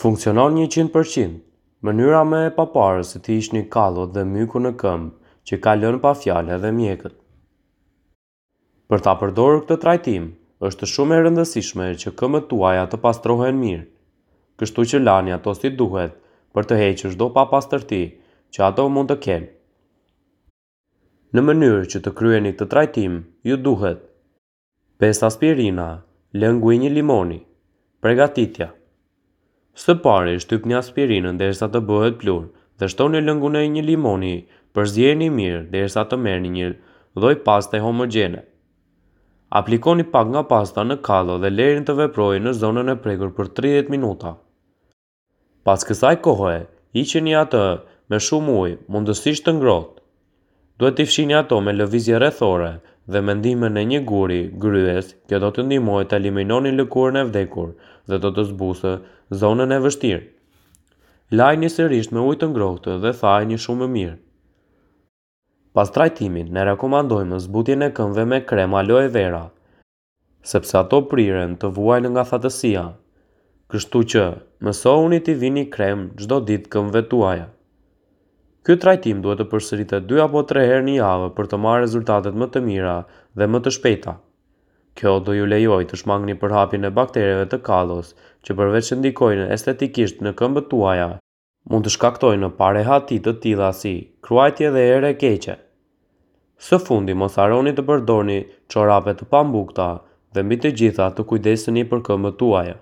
Funksionon 100%. Mënyra më e paparë si të hiqni kallot dhe mykun në këmbë që ka lënë pa fjalë edhe mjekët. Për ta përdorur këtë trajtim, është shumë e rëndësishme që këmbët tuaja të pastrohen mirë. Kështu që lani ato si duhet për të hequr çdo papastërti që ato mund të kenë. Në mënyrë që të kryeni këtë trajtim, ju duhet 5 aspirina, lëngu i një limoni. Pregatitja. Së pari, shtypni aspirinën derisa të bëhet pluhur dhe shtoni lëngun e një limoni, përziejeni mirë derisa të merrni një lloj paste homogjene. Aplikoni pak nga pasta në kallo dhe lëreni të veprojë në zonën e prekur për 30 minuta. Pas kësaj kohe, hiqeni atë me shumë ujë, mundësisht të ngrohtë. Duhet t'i fshini ato me lëvizje rrethore dhe me ndihmën e një guri gryes, kjo do t'ju ndihmojë të eliminoni lëkurën e vdekur dhe do të zbusë zonën e vështirë. Lajini sërish me ujë të ngrohtë dhe thajini shumë mirë. Pas trajtimit, ne rekomandojmë zbutjen e këmbëve me krem aloe vera, sepse ato priren të vuajnë nga thatësia. Kështu që, mësohuni t'i vini krem çdo ditë këmbëve tuaja. Ky trajtim duhet të përsëritet 2 apo 3 herë në javë për të marrë rezultatet më të mira dhe më të shpejta. Kjo do ju lejojë të shmangni përhapjen e baktereve të kallos, që përveç që ndikojnë estetikisht në këmbët tuaja, mund të shkaktojnë parehati të tilla si kruajtje dhe erë e keqe. Së fundi, mos harroni të përdorni çorape të pambukta dhe mbi të gjitha të kujdeseni për këmbët tuaja.